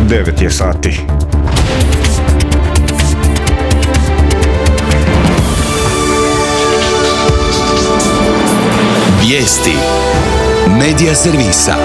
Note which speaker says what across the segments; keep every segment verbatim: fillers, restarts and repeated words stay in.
Speaker 1: devet je sati.
Speaker 2: Vijesti Medija servisa.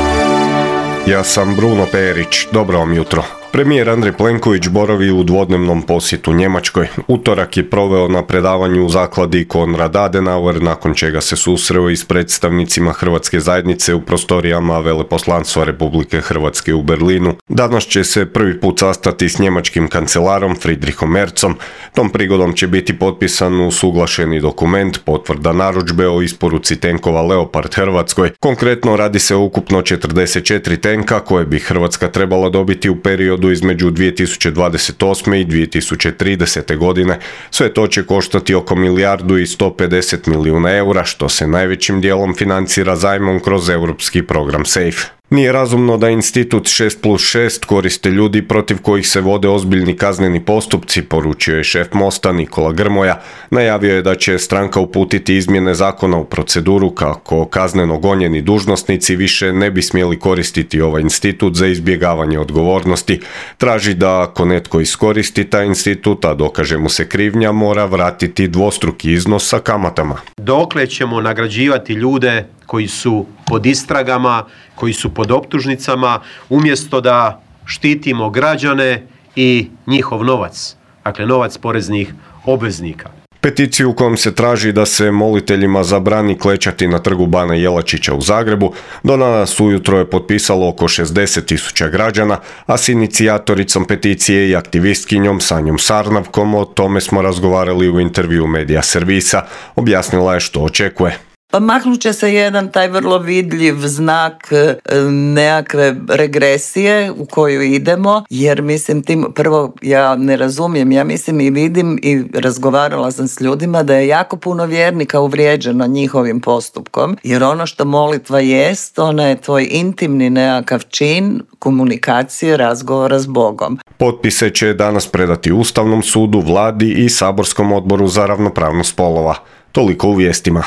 Speaker 1: Ja sam Bruno Perić, dobro vam jutro. Premijer Andrej Plenković boravi u dvodnevnom posjetu Njemačkoj. Utorak je proveo na predavanju u zakladi Konrad Adenauer, nakon čega se susreo i s predstavnicima hrvatske zajednice u prostorijama Veleposlanstva Republike Hrvatske u Berlinu. Danas će se prvi put sastati s njemačkim kancelarom Friedrichom Merzom. Tom prigodom će biti potpisan usuglašeni dokument, potvrda narudžbe o isporuci tenkova Leopard Hrvatskoj. Konkretno radi se o ukupno četrdeset četiri tenka koje bi Hrvatska trebala dobiti u periodu između dvije tisuće dvadeset osme i dvije tisuće tridesete godine. Sve to će koštati oko milijardu i sto pedeset milijuna eura, što se najvećim dijelom financira zajmom kroz europski program SAFE. Nije razumno da institut šest plus šest koriste ljudi protiv kojih se vode ozbiljni kazneni postupci, poručio je šef Mosta Nikola Grmoja. Najavio je da će stranka uputiti izmjene zakona u proceduru kako kazneno gonjeni dužnosnici više ne bi smjeli koristiti ovaj institut za izbjegavanje odgovornosti. Traži da ako netko iskoristi taj institut, a dokaže mu se krivnja, mora vratiti dvostruki iznos sa kamatama.
Speaker 3: Dokle ćemo nagrađivati ljude koji su pod istragama, koji su pod optužnicama, umjesto da štitimo građane i njihov novac, dakle novac poreznih obveznika.
Speaker 1: Peticiju u kojom se traži da se moliteljima zabrani klečati na trgu Bana Jelačića u Zagrebu do danas ujutro je potpisalo oko šezdeset tisuća građana, a s inicijatoricom peticije i aktivistkinjom Sanjom Sarnavkom o tome smo razgovarali u intervju Medija servisa. Objasnila je što očekuje.
Speaker 4: Pa maknut će se jedan taj vrlo vidljiv znak e, nekakve regresije u koju idemo, jer mislim tim, prvo ja ne razumijem, ja mislim i vidim i razgovarala sam s ljudima da je jako puno vjernika uvrijeđeno njihovim postupkom, jer ono što molitva jest, ona je tvoj intimni nekakav čin komunikacije, razgovora s Bogom.
Speaker 1: Potpise će danas predati Ustavnom sudu, vladi i Saborskom odboru za ravnopravnost spolova. Toliko u vijestima.